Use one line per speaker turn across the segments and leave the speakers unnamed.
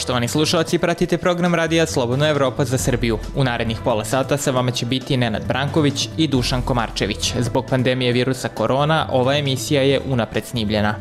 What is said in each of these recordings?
Poštovani slušalci, pratite program Radija Slobodna Evropa za Srbiju. U narednih pola sata sa vama će biti Nenad Branković i Dušan Komarčević. Zbog pandemije virusa korona, ova emisija je unapred snimljena.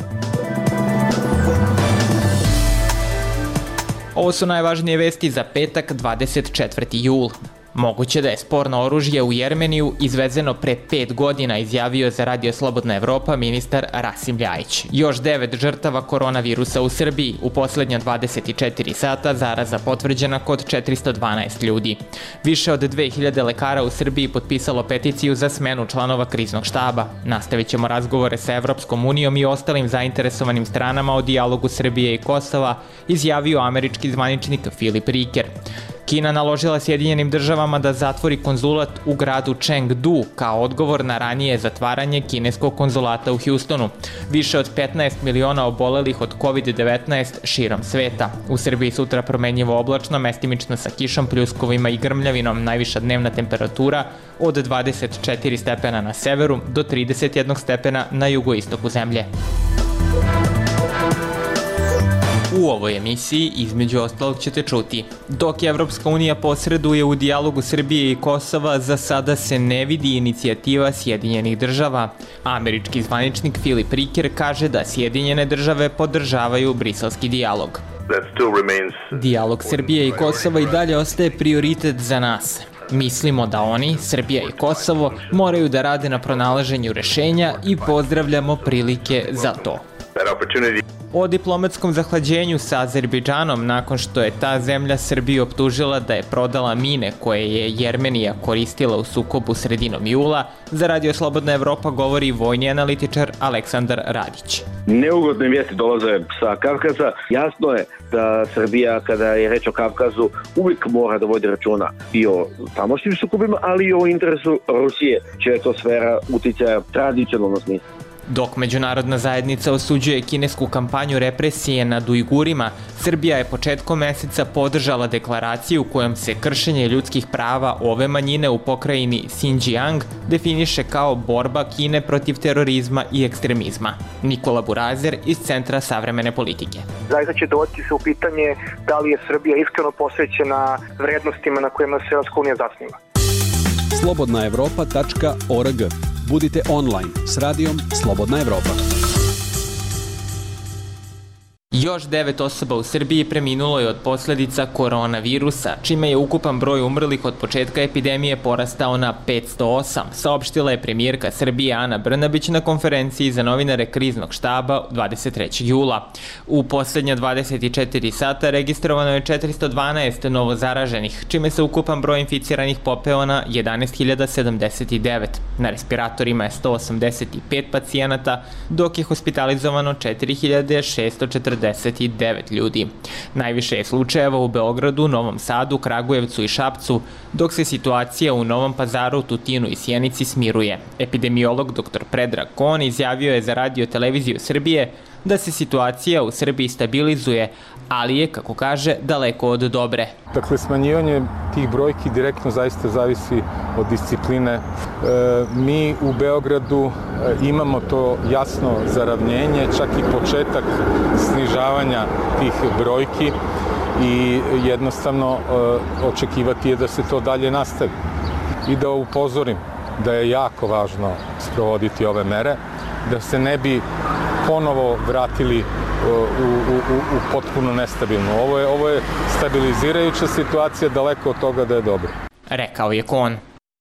Ovo su najvažnije vesti za petak 24. jul. Moguće da je sporno oružje u Jermeniju izvezeno pre 5 godina, izjavio za Radio Slobodna Evropa ministar Rasim Ljajić. Još 9 žrtava koronavirusa u Srbiji. U poslednja 24 sata zaraza potvrđena kod 412 ljudi. Više od 2000 lekara u Srbiji potpisalo peticiju za smenu članova kriznog štaba. Nastavit ćemo razgovore sa Evropskom unijom i ostalim zainteresovanim stranama o dijalogu Srbije i Kosova, izjavio američki zvaničnik Filip Riker. Kina naložila Sjedinjenim državama da zatvori konzulat u gradu Chengdu kao odgovor na ranije zatvaranje kineskog konzulata u Houstonu. Više od 15 miliona obolelih od COVID-19 širom sveta. U Srbiji sutra promenljivo oblačno, mestimično sa kišom, pljuskovima i grmljavinom, najviša dnevna temperatura od 24 stepena na severu do 31 stepena na jugoistoku zemlje. U ovoj emisiji, između ostalog, ćete čuti: dok je Evropska unija posreduje u dijalogu Srbije i Kosova, za sada se ne vidi inicijativa Sjedinjenih država. Američki zvaničnik Filip Riker kaže da Sjedinjene države podržavaju briselski dijalog. Dijalog Srbije i Kosova i dalje ostaje prioritet za nas. Mislimo da oni, Srbija i Kosovo, moraju da rade na pronalaženju rešenja i pozdravljamo prilike za to. O diplomatskom zahlađenju sa Azerbejdžanom nakon što je ta zemlja Srbiju optužila da je prodala mine koje je Jermenija koristila u sukobu sredinom jula, za Radio Slobodna Evropa govori vojni analitičar Aleksandar Radić.
Neugodne vijesti dolaze sa Kavkaza. Jasno je da Srbija, kada je reč o Kavkazu, uvijek mora da vodi računa i o tamošnjim sukobima, ali i o interesu Rusije, čija je to sfera uticaja tradicionalno smisla.
Dok međunarodna zajednica osuđuje kinesku kampanju represije nad Ujgurima, Srbija je početkom meseca podržala deklaraciju kojom se kršenje ljudskih prava ove manjine u pokrajini Xinjiang definiše kao borba Kine protiv terorizma i ekstremizma. Nikola Burazer iz Centra savremene politike.
Zaista će doći se u pitanje da li je Srbija iskreno posvećena vrednostima na kojima se Evropska unija zasniva.
slobodnaevropa.org. Budite online s radijom Slobodna Evropa.
Još 9 osoba u Srbiji preminulo je od posledica koronavirusa, čime je ukupan broj umrlih od početka epidemije porastao na 508, saopštila je premijerka Srbije Ana Brnabić na konferenciji za novinare kriznog štaba 23. jula. U poslednja 24 sata registrovano je 412 novozaraženih, čime se ukupan broj inficiranih popeo na 11.079. Na respiratorima je 185 pacijenata, dok je hospitalizovano 4.649 ljudi. Najviše je slučajeva u Beogradu, Novom Sadu, Kragujevcu i Šapcu, dok se situacija u Novom Pazaru, Tutinu i Sjenici smiruje. Epidemiolog dr. Predrag Kon izjavio je za Radio televiziju Srbije da se situacija u Srbiji stabilizuje, ali je, kako kaže, daleko od dobre.
Dakle, smanjivanje tih brojki direktno zaista zavisi od discipline. Mi u Beogradu imamo to jasno zaravnjenje, čak i početak snižavanja tih brojki i jednostavno očekivati je da se to dalje nastavi. I da upozorim da je jako važno sprovoditi ove mere, da se ne bi ponovo vratili u potpuno nestabilno. Ovo je stabilizirajuća situacija, daleko od toga da je dobro.
Rekao je Kon.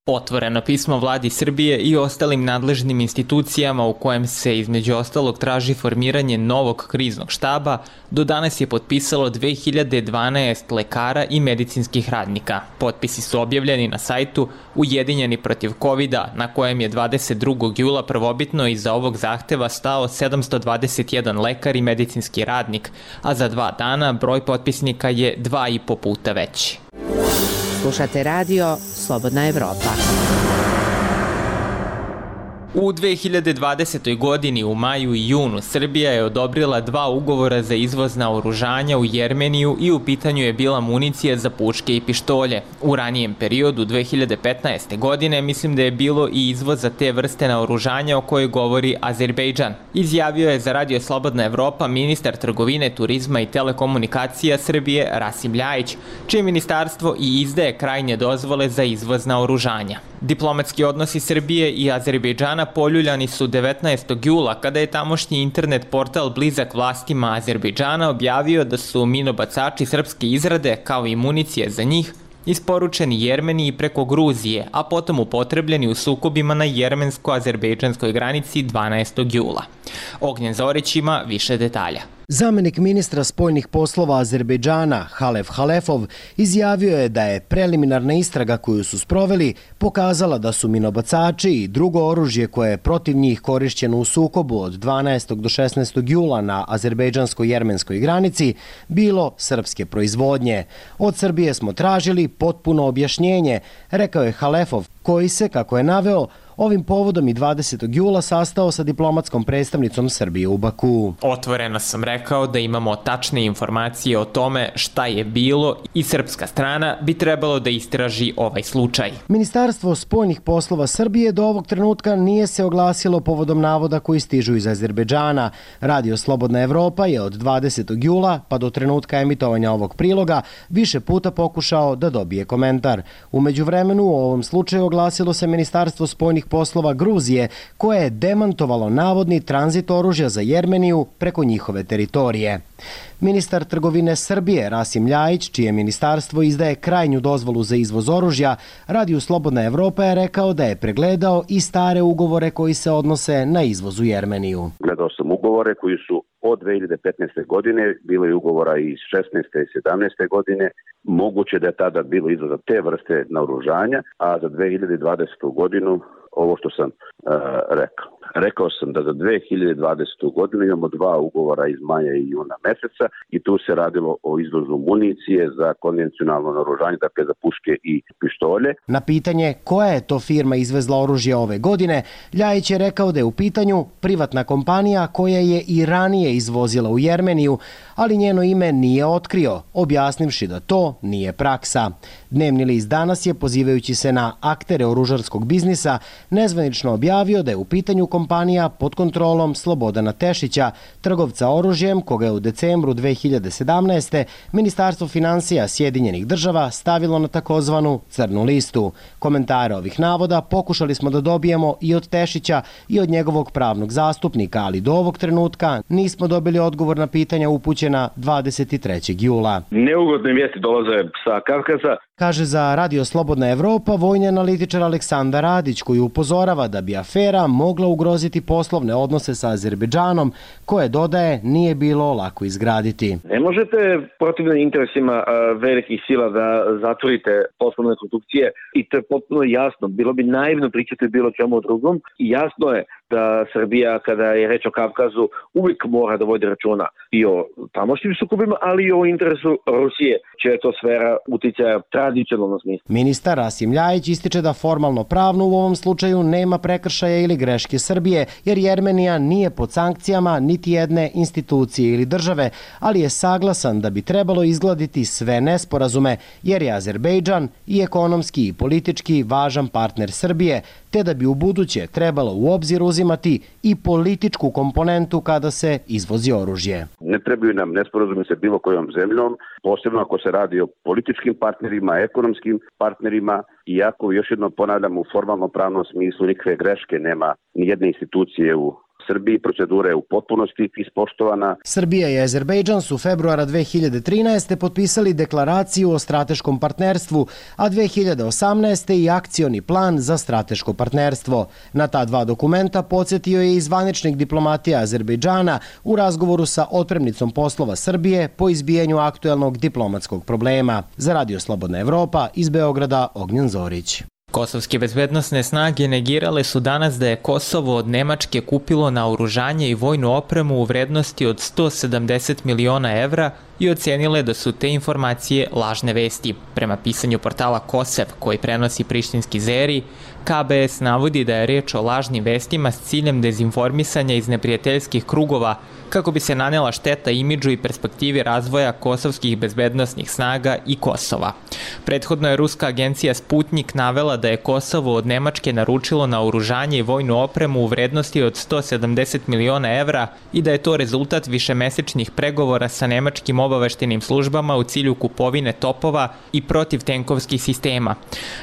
Otvoreno pismo vladi Srbije i ostalim nadležnim institucijama u kojem se između ostalog traži formiranje novog kriznog štaba do danas je potpisalo 2012 lekara i medicinskih radnika. Potpisi su objavljeni na sajtu Ujedinjeni protiv Covida, na kojem je 22. jula prvobitno iza ovog zahteva stao 721 lekar i medicinski radnik, a za 2 dana broj potpisnika je 2,5 puta veći.
Slušate radio Slobodna Evropa.
U 2020. godini u maju i junu Srbija je odobrila 2 ugovora za izvoz naoružanja u Jermeniju i u pitanju je bila municija za puške i pištolje. U ranijem periodu 2015. godine mislim da je bilo i izvoz za te vrste naoružanja o kojoj govori Azerbejdžan. Izjavio je za Radio Slobodna Evropa ministar trgovine, turizma i telekomunikacija Srbije Rasim Ljajić, čije ministarstvo i izdaje krajnje dozvole za izvoz naoružanja. Diplomatski odnosi Srbije i Azerbejdžana poljuljani su 19. jula kada je tamošnji internet portal blizak vlastima Azerbejdžana objavio da su minobacači srpske izrade, kao i municije za njih, isporučeni Jermeniji preko Gruzije, a potom upotrebljeni u sukobima na jermensko-azerbejdžanskoj granici 12. jula. Ognjen Zorić ima više detalja.
Zamenik ministra spoljnih poslova Azerbejdžana Halef Halefov izjavio je da je preliminarna istraga koju su sproveli pokazala da su minobacači i drugo oružje koje je protiv njih korišćeno u sukobu od 12. do 16. jula na azerbejdžansko-jermenskoj granici bilo srpske proizvodnje. Od Srbije smo tražili potpuno objašnjenje, rekao je Halefov, koji se, kako je naveo, ovim povodom i 20. jula sastao sa diplomatskom predstavnicom Srbije u Baku.
Otvoreno sam rekao da imamo tačne informacije o tome šta je bilo i srpska strana bi trebalo da istraži ovaj slučaj.
Ministarstvo spoljnih poslova Srbije do ovog trenutka nije se oglasilo povodom navoda koji stižu iz Azerbejdžana. Radio Slobodna Evropa je od 20. jula pa do trenutka emitovanja ovog priloga više puta pokušao da dobije komentar. U međuvremenu u ovom slučaju oglasilo se Ministarstvo spoljnih poslova Gruzije, koje je demantovalo navodni tranzit oružja za Jermeniju preko njihove teritorije. Ministar trgovine Srbije Rasim Ljajić, čije ministarstvo izdaje krajnju dozvolu za izvoz oružja, Radio Slobodna Evropa je rekao da je pregledao i stare ugovore koji se odnose na izvoz u Jermeniju.
Gledao sam ugovore koji su od 2015. godine, bilo je ugovora i iz 16. i 17. godine, moguće da je tada bilo izvoza te vrste naoružanja, a za 2020. godinu ovo što sam rekao. Rekao sam da za 2020. godinu imamo 2 ugovora iz maja i juna meseca i tu se radilo o izvozu municije za konvencionalno naoružanje, dakle za puške i pištolje.
Na pitanje koja je to firma izvezla oružje ove godine, Ljajić je rekao da je u pitanju privatna kompanija koja je i ranije izvozila u Jermeniju, ali njeno ime nije otkrio, objasnivši da to nije praksa. Dnevni list Danas je, pozivajući se na aktere oružarskog biznisa, nezvanično objavio da je u pitanju kompanija pod kontrolom Slobodana Tešića, trgovca oružjem koga je u decembru 2017. Ministarstvo finansija Sjedinjenih država stavilo na takozvanu crnu listu. Komentare ovih navoda pokušali smo da dobijemo i od Tešića i od njegovog pravnog zastupnika, ali do ovog trenutka nismo dobili odgovor na pitanja upućena 23. jula.
Neugodne vijesti dolaze sa Kavkaza.
Kaže za Radio Slobodna Evropa vojni analitičar Aleksandar Radić, koji upozorava da bi afera mogla ugroziti poslovne odnose sa Azerbejdžanom, koje, dodaje, nije bilo lako izgraditi.
Ne možete protivno interesima velikih sila da zatvorite poslovne konstrukcije i to je potpuno jasno. Bilo bi naivno pričati bilo čemu drugom i jasno je da Srbija, kada je reč o Kavkazu, uvijek mora da vodi računa i o tamošnjim sukobima, ali i o interesu Rusije, čija je to sfera uticaja tradicionalno smisla.
Ministar Rasim Ljajić ističe da formalno pravno u ovom slučaju nema prekršaja ili greške Srbije, jer Jermenija nije pod sankcijama niti jedne institucije ili države, ali je saglasan da bi trebalo izgladiti sve nesporazume, jer je Azerbejdžan i ekonomski i politički važan partner Srbije, te da bi u buduće trebalo u obzir uzimati i političku komponentu kada se izvozi oružje.
Ne trebaju nam nesporazumi sa bilo kojom zemljom, posebno ako se radi o političkim partnerima, ekonomskim partnerima, iako, još jednom ponavljam, u formalno pravnom smislu nikakve greške nema ni jedne institucije u Srbiji, procedura je u potpunosti ispoštovana.
Srbija i Azerbejdžan su februara 2013. potpisali deklaraciju o strateškom partnerstvu, a 2018. i akcioni plan za strateško partnerstvo. Na ta 2 dokumenta podsjetio je i zvaničnik diplomatije Azerbejdžana u razgovoru sa otpremnicom poslova Srbije po izbijanju aktuelnog diplomatskog problema. Za Radio Slobodna Evropa, iz Beograda, Ognjen Zorić.
Kosovske bezbednosne snage negirale su danas da je Kosovo od Nemačke kupilo naoružanje i vojnu opremu u vrednosti od 170 miliona evra i ocenile da su te informacije lažne vesti. Prema pisanju portala Kosev, koji prenosi prištinski Zeri, KBS navodi da je reč o lažnim vestima s ciljem dezinformisanja iz neprijateljskih krugova kako bi se nanela šteta imidžu i perspektivi razvoja kosovskih bezbednosnih snaga i Kosova. Prethodno je ruska agencija Sputnik navela da je Kosovo od Nemačke naručilo naoružanje i vojnu opremu u vrednosti od 170 miliona evra i da je to rezultat višemesečnih pregovora sa nemačkim obaveštenim službama u cilju kupovine topova i protivtenkovskih sistema.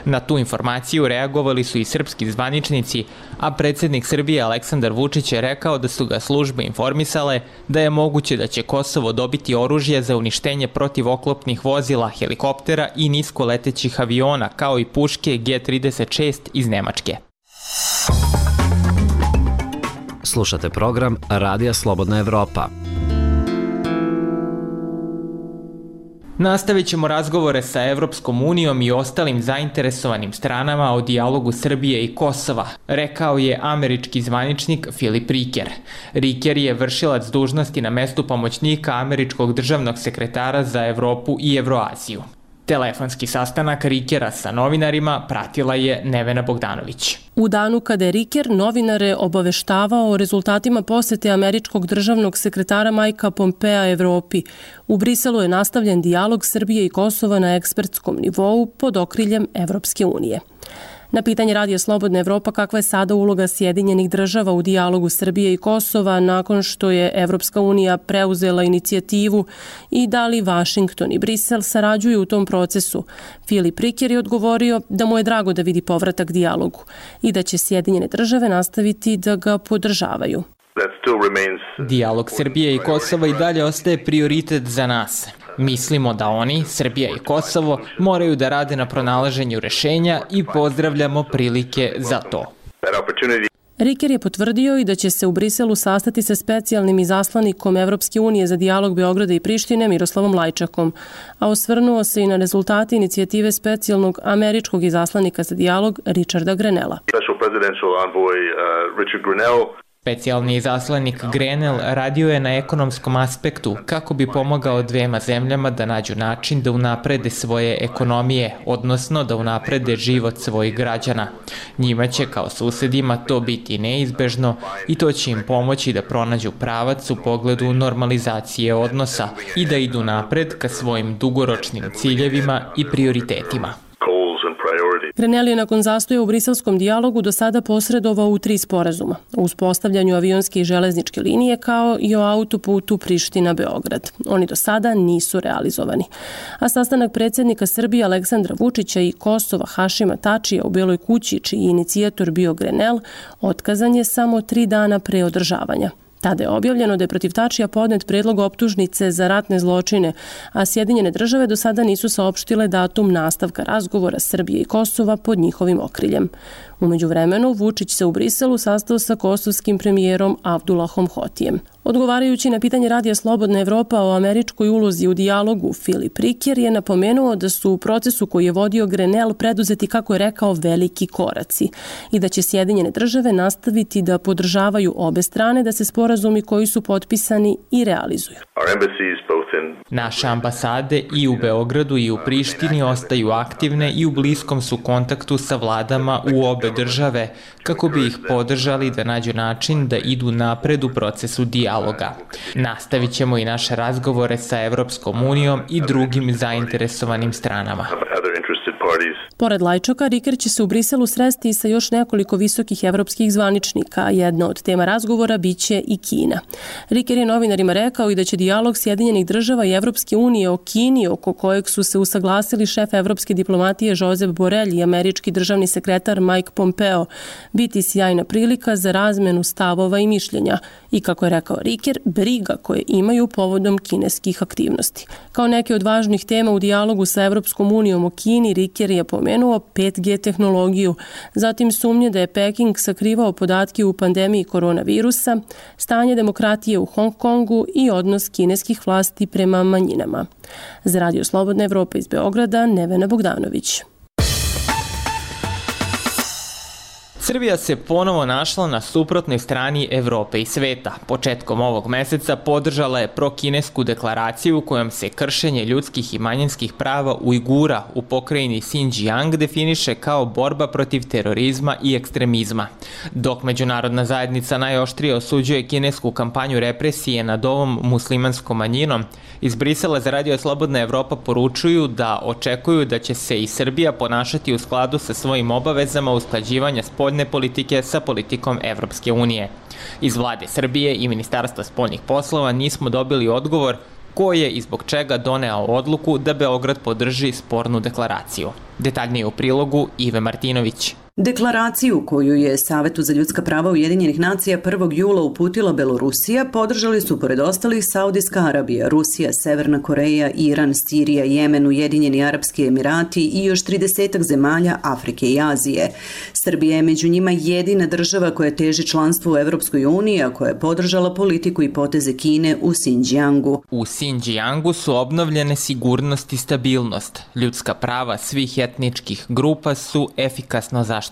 Na tu informaciju reagovali su i srpski zvaničnici, a predsjednik Srbije Aleksandar Vučić je rekao da su ga službe informisale da je moguće da će Kosovo dobiti oružje za uništenje protivoklopnih vozila, helikoptera i niskoletećih aviona, kao i puške G-36 iz Nemačke.
Slušate program Radija Slobodna Evropa.
Nastavit ćemo razgovore sa Evropskom unijom i ostalim zainteresovanim stranama o dijalogu Srbije i Kosova, rekao je američki zvaničnik Filip Riker. Riker je vršilac dužnosti na mestu pomoćnika američkog državnog sekretara za Evropu i Evroaziju. Telefonski sastanak Rikera sa novinarima pratila je Nevena Bogdanović.
U danu kada je Riker novinare obaveštavao o rezultatima posete američkog državnog sekretara Mikea Pompea Evropi, u Briselu je nastavljen dijalog Srbije i Kosova na ekspertskom nivou pod okriljem Evropske unije. Na pitanje Radija Slobodna Evropa kakva je sada uloga Sjedinjenih država u dijalogu Srbije i Kosova nakon što je Evropska unija preuzela inicijativu i da li Vašington i Brisel sarađuju u tom procesu, Filip Riker je odgovorio da mu je drago da vidi povratak dijalogu i da će Sjedinjene države nastaviti da ga podržavaju.
Dijalog Srbije i Kosova i dalje ostaje prioritet za nas. Mislimo da oni, Srbija i Kosovo, moraju da rade na pronalaženju rešenja i pozdravljamo prilike za to.
Riker je potvrdio i da će se u Briselu sastati sa specijalnim izaslanikom Evropske unije za dijalog Beograda i Prištine Miroslavom Lajčakom, a osvrnuo se i na rezultate inicijative specijalnog američkog izaslanika za dijalog Richarda Grenella.
Specijalni izaslanik Grenell radio je na ekonomskom aspektu kako bi pomogao dvema zemljama da nađu način da unaprede svoje ekonomije, odnosno da unaprede život svojih građana. Njima će kao susedima to biti neizbežno i to će im pomoći da pronađu pravac u pogledu normalizacije odnosa i da idu napred ka svojim dugoročnim ciljevima i prioritetima.
Grenell je nakon zastoja u briselskom dijalogu do sada posredovao u 3 sporazuma, o uspostavljanju avionske i železničke linije kao i o autoputu Priština-Beograd. Oni do sada nisu realizovani. A sastanak predsjednika Srbije Aleksandra Vučića i Kosova Hašima Tačija u Beloj kući, čiji inicijator bio Grenell, otkazan je samo 3 dana pre održavanja. Tada je objavljeno da je protiv Tačija podnet predlog optužnice za ratne zločine, a Sjedinjene države do sada nisu saopštile datum nastavka razgovora Srbije i Kosova pod njihovim okriljem. U međuvremenu, Vučić se u Briselu sastao sa kosovskim premijerom Abdullahom Hotijem. Odgovarajući na pitanje Radija Slobodna Evropa o američkoj ulozi u dijalogu, Filip Riker je napomenuo da su u procesu koji je vodio Grenell preduzeti, kako je rekao, veliki koraci i da će Sjedinjene države nastaviti da podržavaju obe strane da se sporazumi koji su potpisani i realizuju.
Naše ambasade i u Beogradu i u Prištini ostaju aktivne i u bliskom su kontaktu sa vladama u obe države kako bi ih podržali da nađu način da idu napred u procesu dijaloga. Nastavit ćemo i naše razgovore sa Evropskom unijom i drugim zainteresovanim stranama.
Pored Lajčaka, Riker će se u Briselu sresti i sa još nekoliko visokih evropskih zvaničnika, a jedna od tema razgovora biće i Kina. Riker je novinarima rekao i da će dijalog Sjedinjenih država i Evropske unije o Kini, oko kojeg su se usaglasili šef evropske diplomatije Josep Borrell i američki državni sekretar Mike Pompeo, biti sjajna prilika za razmenu stavova i mišljenja i, kako je rekao Riker, briga koje imaju povodom kineskih aktivnosti. Kao neke od važnih tema u dijalogu sa Evropskom unijom o Kini, Riker je pomenuo 5G tehnologiju, zatim sumnje da je Peking sakrivao podatke u pandemiji koronavirusa, stanje demokratije u Hong Kongu i odnos kineskih vlasti prema manjinama. Za Radio Slobodna Evropa iz Beograda, Nevena Bogdanović.
Srbija se ponovo našla na suprotnoj strani Evrope i sveta. Početkom ovog meseca podržala je prokinesku deklaraciju kojom se kršenje ljudskih i manjinskih prava Ujgura u pokrajini Xinjiang definiše kao borba protiv terorizma i ekstremizma. Dok međunarodna zajednica najoštrije osuđuje kinesku kampanju represije nad ovom muslimanskom manjinom, iz Brisela za Radio Slobodna Evropa poručuju da očekuju da će se i Srbija ponašati u skladu sa svojim obavezama usklađivanja spoljne politike sa politikom Evropske unije. Iz vlade Srbije i Ministarstva spoljnih poslova nismo dobili odgovor ko je i zbog čega doneo odluku da Beograd podrži spornu deklaraciju. Detaljnije u prilogu Ive Martinović.
Deklaraciju koju je Savetu za ljudska prava Ujedinjenih nacija 1. jula uputila Belorusija podržali su pored ostalih Saudijska Arabija, Rusija, Severna Koreja, Iran, Sirija, Jemen, Ujedinjeni Arapski Emirati i još 30 zemalja Afrike i Azije. Srbija je među njima jedina država koja teži članstvu u Evropskoj uniji, a koja je podržala politiku i poteze Kine u Xinjiangu.
U Xinjiangu su obnovljene sigurnost i stabilnost. Ljudska prava svih etničkih grupa su efikasno zaštićena.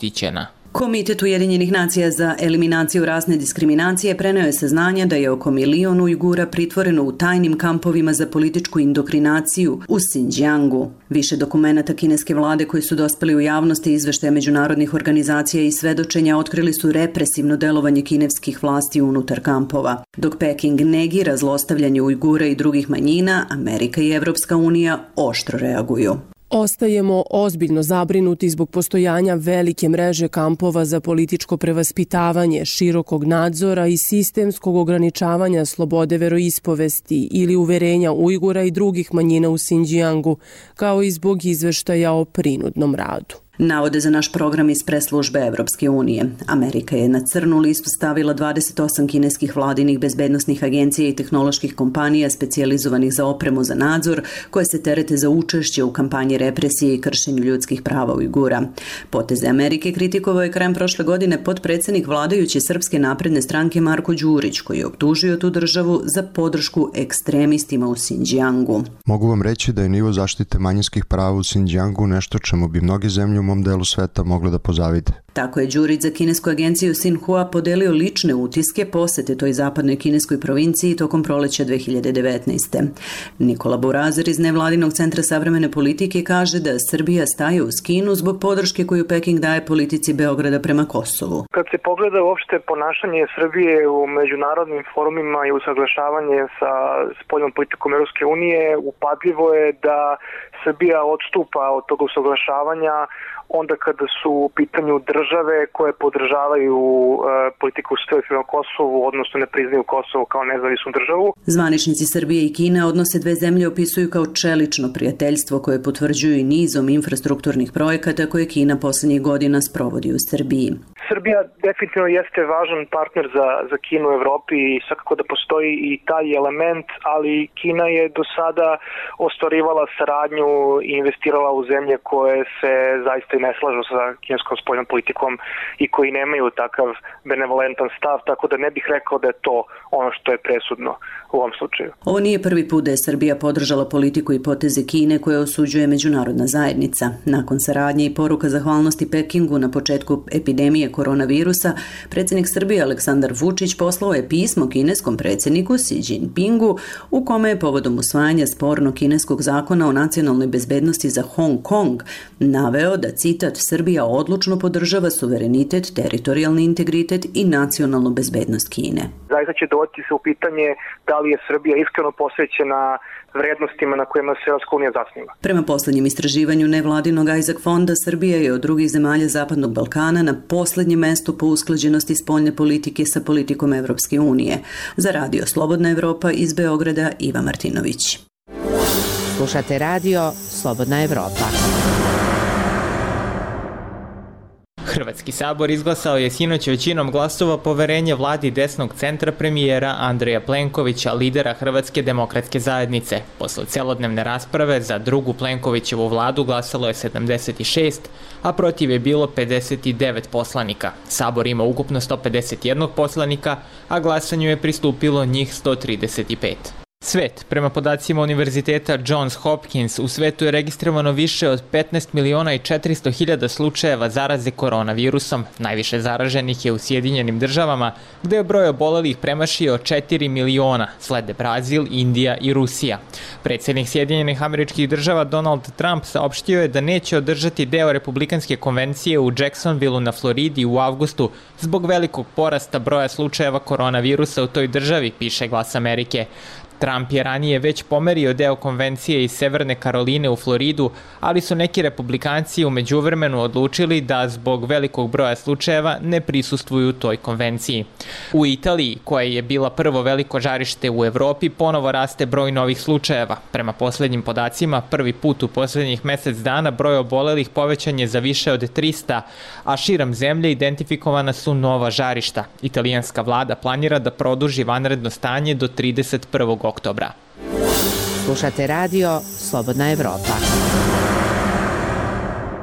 Komitet Ujedinjenih nacija za eliminaciju rasne diskriminacije preneo je saznanja da je oko 1 milion Ujgura pritvoreno u tajnim kampovima za političku indokrinaciju u Xinjiangu. Više dokumenata kineske vlade koji su dospeli u javnosti, izveštaje međunarodnih organizacija i svedočenja otkrili su represivno delovanje kineskih vlasti unutar kampova. Dok Peking negira zlostavljanje Ujgura i drugih manjina, Amerika i Evropska unija oštro reaguju.
Ostajemo ozbiljno zabrinuti zbog postojanja velike mreže kampova za političko prevaspitavanje, širokog nadzora i sistemskog ograničavanja slobode veroispovesti ili uverenja Ujgura i drugih manjina u Xinjiangu, kao i zbog izveštaja o prinudnom radu.
Navode za naš program iz preslužbe Evropske unije. Amerika je na crnu listu stavila 28 kineskih vladinih bezbednosnih agencija i tehnoloških kompanija specijalizovanih za opremu za nadzor, koje se terete za učešće u kampanji represije i kršenju ljudskih prava Ujgura. Poteze Amerike kritikovao je krajem prošle godine potpredsednik vladajuće Srpske napredne stranke Marko Đurić, koji je optužio tu državu za podršku ekstremistima u Xinjiangu.
Mogu vam reći da je nivo zaštite manjinskih prava u Xinjiangu nešto čemu bi mnoge zemlje u mom delu sveta mogle da pozavide.
Tako je Đurić za kinesku agenciju Xinhua podelio lične utiske posete toj zapadnoj kineskoj provinciji tokom proleća 2019. Nikola Burazer iz nevladinog centra savremene politike kaže da Srbija staje uz Kinu zbog podrške koju Peking daje politici Beograda prema Kosovu.
Kad se pogleda uopšte ponašanje Srbije u međunarodnim forumima i usaglašavanje sa spoljnom politikom Evropske unije, upadljivo je da Srbija odstupa od tog usaglašavanja onda kada su u pitanju države koje podržavaju politiku Srbije prema Kosovu, odnosno ne priznaju Kosovo kao nezavisnu državu.
Zvaničnici Srbije i Kine odnose dve zemlje opisuju kao čelično prijateljstvo koje potvrđuju i nizom infrastrukturnih projekata koje Kina poslednjih godina sprovodi u Srbiji.
Srbija definitivno jeste važan partner za Kinu u Evropi i svakako da postoji i taj element, ali Kina je do sada ostvarivala saradnju i investirala u zemlje koje se zaista i ne slažu sa kineskom spoljnom politikom i koji nemaju takav benevolentan stav, tako da ne bih rekao da je to ono što je presudno u ovom slučaju.
Ovo nije prvi put da je Srbija podržala politiku i poteze Kine koje osuđuje međunarodna zajednica. Nakon saradnje i poruka zahvalnosti Pekingu na početku epidemije koronavirusa, predsjednik Srbije Aleksandar Vučić poslao je pismo kineskom predsjedniku Xi Jinpingu u kome je povodom usvajanja spornog kineskog zakona o nacionalnoj bezbednosti za Hong Kong naveo da, citat, Srbija odlučno podržava suverenitet, teritorijalni integritet i nacionalnu bezbednost Kine.
Zaista će doći se u pitanje da li je Srbija iskreno posvećena vrednostima na kojima se Evropska unija zasniva.
Prema poslednjem istraživanju nevladinog Isaac Fonda, Srbija je od drugih zemalja Zapadnog Balkana na poslednjem mestu po usklađenosti spoljne politike sa politikom Evropske unije. Za Radio Slobodna Evropa iz Beograda, Iva Martinović.
Slušate Radio Slobodna Evropa.
Hrvatski sabor izglasao je sinoć većinom glasova poverenje vladi desnog centra premijera Andreja Plenkovića, lidera Hrvatske demokratske zajednice. Posle celodnevne rasprave za drugu Plenkovićevu vladu glasalo je 76, a protiv je bilo 59 poslanika. Sabor ima ukupno 151 poslanika, a glasanju je pristupilo njih 135. Svet, prema podacima Univerziteta Johns Hopkins, u svetu je registrovano više od 15 miliona i 400 hiljada slučajeva zaraze koronavirusom. Najviše zaraženih je u Sjedinjenim državama, gde je broj obolelih premašio 4 miliona, slede Brazil, Indija i Rusija. Predsjednik Sjedinjenih Američkih Država Donald Trump saopštio je da neće održati deo republikanske konvencije u Jacksonvilleu na Floridi u avgustu zbog velikog porasta broja slučajeva koronavirusa u toj državi, piše Glas Amerike. Trump je ranije već pomerio deo konvencije iz Severne Karoline u Floridu, ali su neki republikanci u međuvremenu odlučili da zbog velikog broja slučajeva ne prisustvuju toj konvenciji. U Italiji, koja je bila prvo veliko žarište u Evropi, ponovo raste broj novih slučajeva. Prema poslednjim podacima, prvi put u poslednjih mesec dana broj obolelih povećan je za više od 300, a širom zemlje identifikovana su nova žarišta. Italijanska vlada planira da produži vanredno stanje do 31. oktobra.
Slušate radio Slobodna Evropa.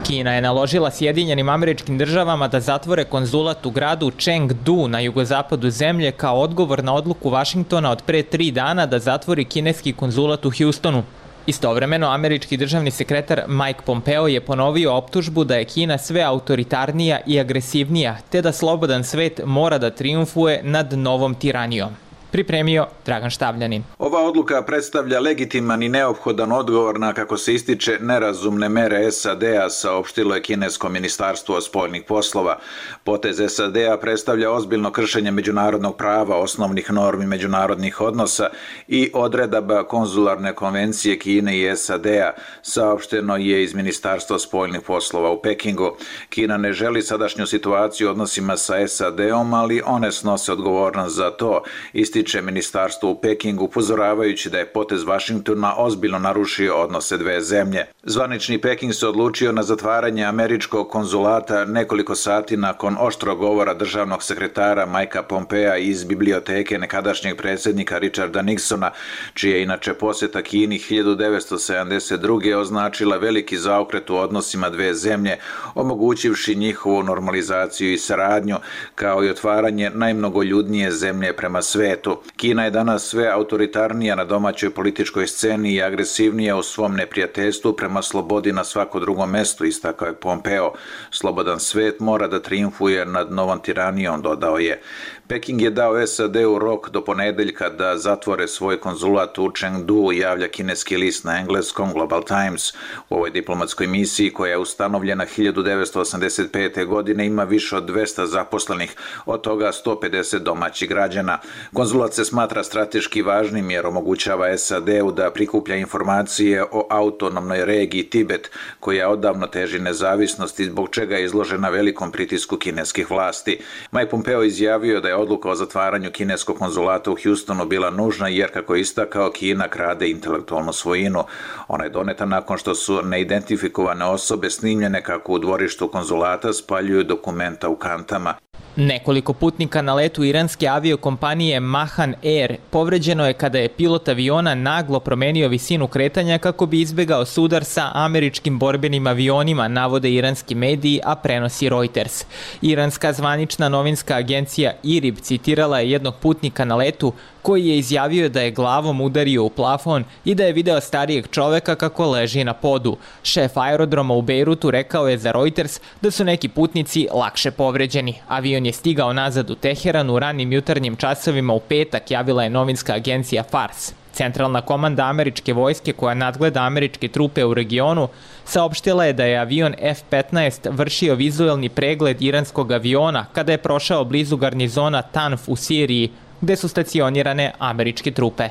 Kina je naložila Sjedinjenim Američkim Državama da zatvore konzulat u gradu Chengdu na jugozapadu zemlje kao odgovor na odluku Vašingtona od pre 3 dana da zatvori kineski konzulat u Houstonu. Istovremeno, američki državni sekretar Mike Pompeo je ponovio optužbu da je Kina sve autoritarnija i agresivnija, te da slobodan svet mora da trijumfuje nad novom tiranijom. Pripremio Dragan Štavljanin.
Ova odluka predstavlja legitiman i neophodan odgovor na, kako se ističe, nerazumne mere SAD-a, saopštilo je kinesko ministarstvo spoljnih poslova. Potez SAD-a predstavlja ozbiljno kršenje međunarodnog prava, osnovnih normi međunarodnih odnosa i odredaba konzularne konvencije Kine i SAD-a, saopšteno je iz ministarstva spoljnih poslova u Pekingu. Kina ne želi sadašnju situaciju u odnosima sa SAD-om, ali one snose odgovornost za to, ističe ministarstvo u Pekingu, upozoravajući da je potez Vašingtona ozbiljno narušio odnose dve zemlje. Zvanični Peking se odlučio na zatvaranje američkog konzulata nekoliko sati nakon oštrog govora državnog sekretara Mikea Pompea iz biblioteke nekadašnjeg predsjednika Richarda Nixona, čija je inače posjeta Kini 1972. označila veliki zaokret u odnosima dve zemlje, omogućivši njihovu normalizaciju i saradnju, kao i otvaranje najmnogoljudnije zemlje prema svetu. Kina je danas sve autoritarnija na domaćoj političkoj sceni i agresivnija u svom neprijateljstvu prema slobodi na svako drugom mestu, istakao je Pompeo. Slobodan svet mora da trijumfuje nad novom tiranijom, dodao je. Peking je dao SAD-u rok do ponedeljka da zatvore svoj konzulat u Chengdu, javlja kineski list na engleskom Global Times. U ovoj diplomatskoj misiji, koja je ustanovljena 1985. godine, ima više od 200 zaposlenih, od toga 150 domaćih građana. Konzulat se smatra strateški važnim jer omogućava SAD-u da prikuplja informacije o autonomnoj regiji Tibet, koja odavno teži nezavisnosti, zbog čega je izložena velikom pritisku kineskih vlasti. Mike Pompeo izjavio da je odluka o zatvaranju kineskog konzulata u Houstonu bila nužna jer, kako je istakao, Kina krade intelektualnu svojinu. Ona je doneta nakon što su neidentifikovane osobe snimljene kako u dvorištu konzulata spaljuju dokumenta u kantama.
Nekoliko putnika na letu iranske aviokompanije Mahan Air povređeno je kada je pilot aviona naglo promenio visinu kretanja kako bi izbegao sudar sa američkim borbenim avionima, navode iranski mediji, a prenosi Reuters. Iranska zvanična novinska agencija IRIB citirala je jednog putnika na letu koji je izjavio da je glavom udario u plafon i da je video starijeg čoveka kako leži na podu. Šef aerodroma u Bejrutu rekao je za Reuters da su neki putnici lakše povređeni. Avion je stigao nazad u Teheran u ranim jutarnjim časovima u petak, javila je novinska agencija Fars. Centralna komanda američke vojske, koja nadgleda američke trupe u regionu, saopštila je da je avion F-15 vršio vizuelni pregled iranskog aviona kada je prošao blizu garnizona Tanf u Siriji, gde su stacionirane američke trupe.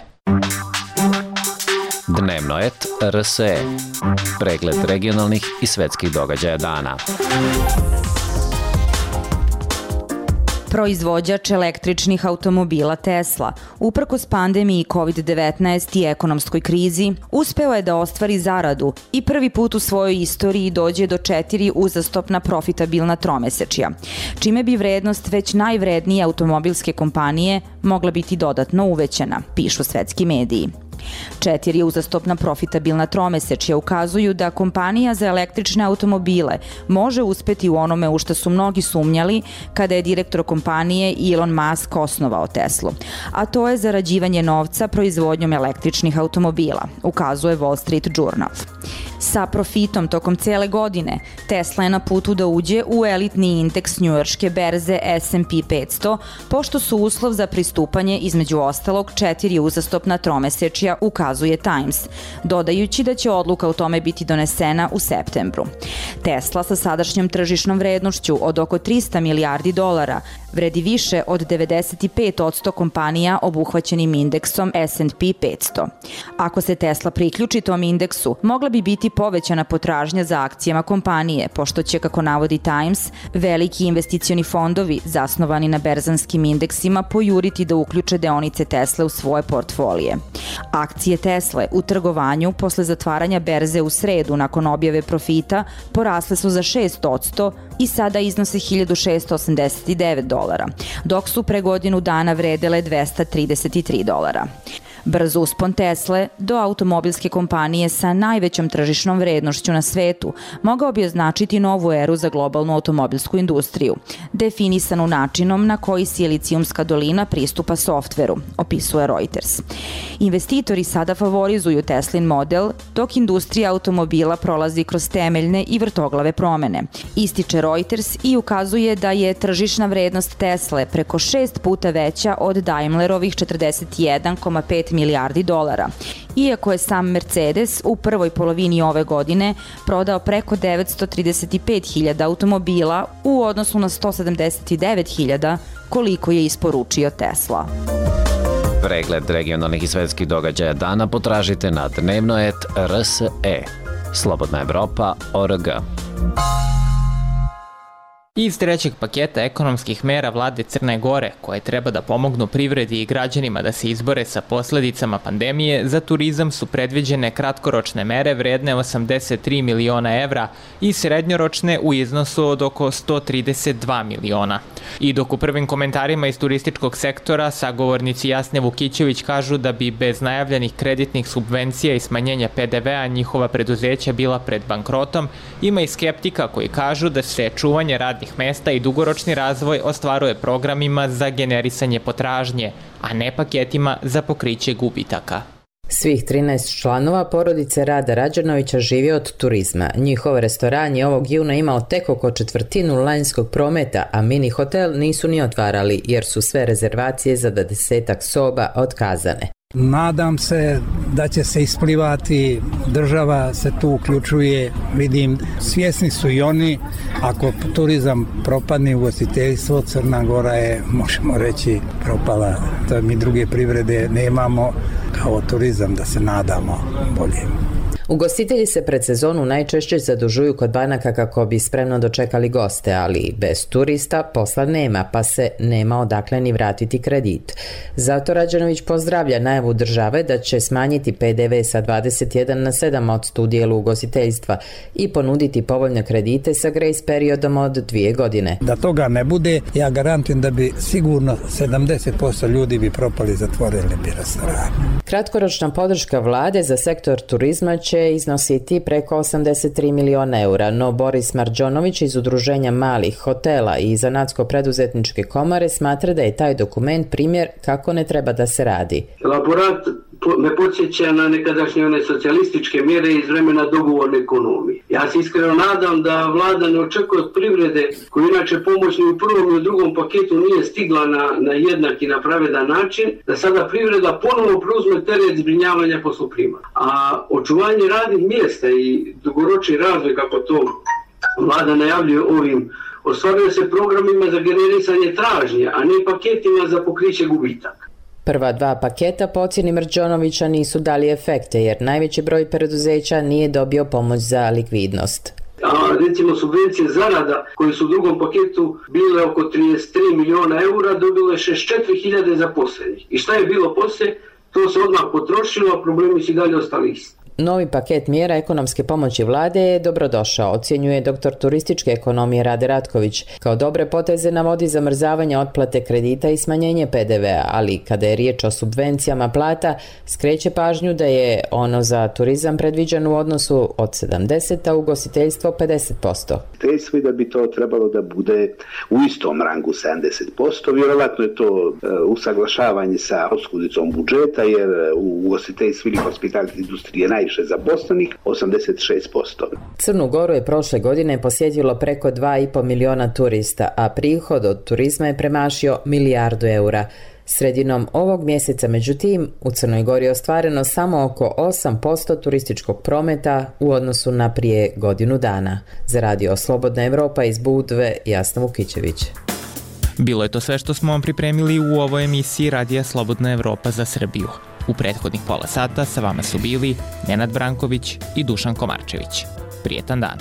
Dnevno et RSE. Pregled regionalnih i svetskih događaja dana.
Proizvođač električnih automobila Tesla, uprkos pandemiji COVID-19 i ekonomskoj krizi, uspeo je da ostvari zaradu i prvi put u svojoj istoriji dođe do 4 uzastopna profitabilna tromesečja, čime bi vrednost već najvrednije automobilske kompanije mogla biti dodatno uvećana, pišu svetski mediji. 4 uzastopna profitabilna tromesečja ukazuju da kompanija za električne automobile može uspeti u onome u što su mnogi sumnjali kada je direktor kompanije Elon Musk osnovao Teslu, a to je zarađivanje novca proizvodnjom električnih automobila, ukazuje Wall Street Journal. Sa profitom tokom cele godine, Tesla je na putu da uđe u elitni indeks njujorške berze S&P 500, pošto su uslov za pristupanje između ostalog 4 uzastopna tromesečja, ukazuje Times, dodajući da će odluka o tome biti donesena u septembru. Tesla sa sadašnjom tržišnom vrednošću od oko $300 milijardi vredi više od 95% kompanija obuhvaćenim indeksom S&P 500. Ako se Tesla priključi tom indeksu, mogla bi biti povećana potražnja za akcijama kompanije, pošto će, kako navodi Times, veliki investicioni fondovi zasnovani na berzanskim indeksima pojuriti da uključe deonice Tesle u svoje portfolije. Akcije Tesle u trgovanju posle zatvaranja berze u sredu nakon objave profita porasle su za 6% i sada iznose $1.689, dok su pre godinu dana vredele $233. Brz uspon Tesle do automobilske kompanije sa najvećom tržišnom vrednošću na svetu mogao bi označiti novu eru za globalnu automobilsku industriju, definisanu načinom na koji Silicijumska dolina pristupa softveru, opisuje Reuters. Investitori sada favorizuju Teslin model, dok industrija automobila prolazi kroz temeljne i vrtoglave promene, ističe Reuters i ukazuje da je tržišna vrednost Tesle preko 6 puta veća od Daimlerovih $41,5 milijardi, iako je sam Mercedes u prvoj polovini ove godine prodao preko 935.000 automobila u odnosu na 179.000 koliko je isporučio Tesla.
Pregled regionalnih i svetskih događaja dana potražite na dnevnoet.rse. Slobodna Evropa.org.
Iz trećeg paketa ekonomskih mera vlade Crne Gore, koje treba da pomognu privredi i građanima da se izbore sa posledicama pandemije, za turizam su predviđene kratkoročne mere vredne 83 miliona evra i srednjoročne u iznosu od oko 132 miliona. I dok u prvim komentarima iz turističkog sektora sagovornici Jasne Vukićević kažu da bi bez najavljenih kreditnih subvencija i smanjenja PDV-a njihova preduzeća bila pred bankrotom, ima i skeptika koji kažu da se čuvanje radnih mesta i dugoročni razvoj ostvaruje programima za generisanje potražnje, a ne paketima za pokriće gubitaka.
Svih 13 članova porodice Rada Rađanovića živi od turizma. Njihov restoran je ovog juna imao tek oko četvrtinu lanjskog prometa, a mini hotel nisu ni otvarali jer su sve rezervacije za 10 soba otkazane.
Nadam se da će se isplivati, država se tu uključuje, vidim, svjesni su i oni, ako turizam propadne, ugostiteljstvo, Crna Gora je, možemo reći, propala. To mi druge privrede nemamo, kao turizam da se nadamo bolje.
Ugostitelji se pred sezonu najčešće zadužuju kod banaka kako bi spremno dočekali goste, ali bez turista posla nema, pa se nema odakle ni vratiti kredit. Zato Rađanović pozdravlja najavu države da će smanjiti PDV sa 21 na 7% u dijelu ugostiteljstva i ponuditi povoljne kredite sa grace periodom od 2 godine.
Da toga ne bude, ja garantujem da bi sigurno 70% ljudi bi propali, zatvorili bi restoran.
Kratkoročna podrška vlade za sektor turizma će iznositi preko 83 miliona eura, no Boris Marđonović iz Udruženja malih hotela i Zanatsko-preduzetničke komore smatra da je taj dokument primjer kako ne treba da se radi.
Elaborat me podsjeća na nekadašnje one socijalističke mjere iz vremena dogovorne ekonomije. Ja se iskreno nadam da vlada ne očekuje od privrede, koju inače pomoć ni u prvom ni u drugom paketu nije stigla na jednak i na pravedan način, da sada privreda ponovo preuzme teret zbrinjavanja posloprima. A očuvanje radnih mjesta i dugoročni razvoj, kako to vlada najavljuje ovim, ostvaruje se programima za generisanje tražnje, a ne paketima za pokriće gubitaka.
Prva 2 paketa po ocjeni Mrđonovića nisu dali efekte jer najveći broj preduzeća nije dobio pomoć za likvidnost.
Recimo subvencije zarada koje su u drugom paketu bile oko 33 miliona eura dobile 64.000 zaposlenih. I šta je bilo poslije? To se odmah potrošilo, a problemi su dalje ostali isti.
Novi paket mjera ekonomske pomoći vlade je dobrodošao, ocjenjuje doktor turističke ekonomije Rade Ratković. Kao dobre poteze navodi zamrzavanje otplate kredita i smanjenje PDV-a, ali kada je riječ o subvencijama plata, skreće pažnju da je ono za turizam predviđeno u odnosu od 70, a ugostiteljstvo 50%.
Teško je da bi to trebalo da bude u istom rangu 70%, vjerovatno je to usaglašavanje sa oskudicom budžeta, jer u ugostiteljstvu ili hospitality industrije najviše zaposlenih, 86%.
Crnu Goru je prošle godine posjetilo preko 2,5 miliona turista, a prihod od turizma je premašio milijardu eura. Sredinom ovog mjeseca, međutim, u Crnoj Gori je ostvareno samo oko 8% turističkog prometa u odnosu na prije godinu dana. Za Radio Slobodna Evropa iz Budve, Jasna Vukićević.
Bilo je to sve što smo vam pripremili u ovoj emisiji Radija Slobodna Evropa za Srbiju. U prethodnih pola sata sa vama su bili Nenad Branković i Dušan Komarčević. Prijetan dan.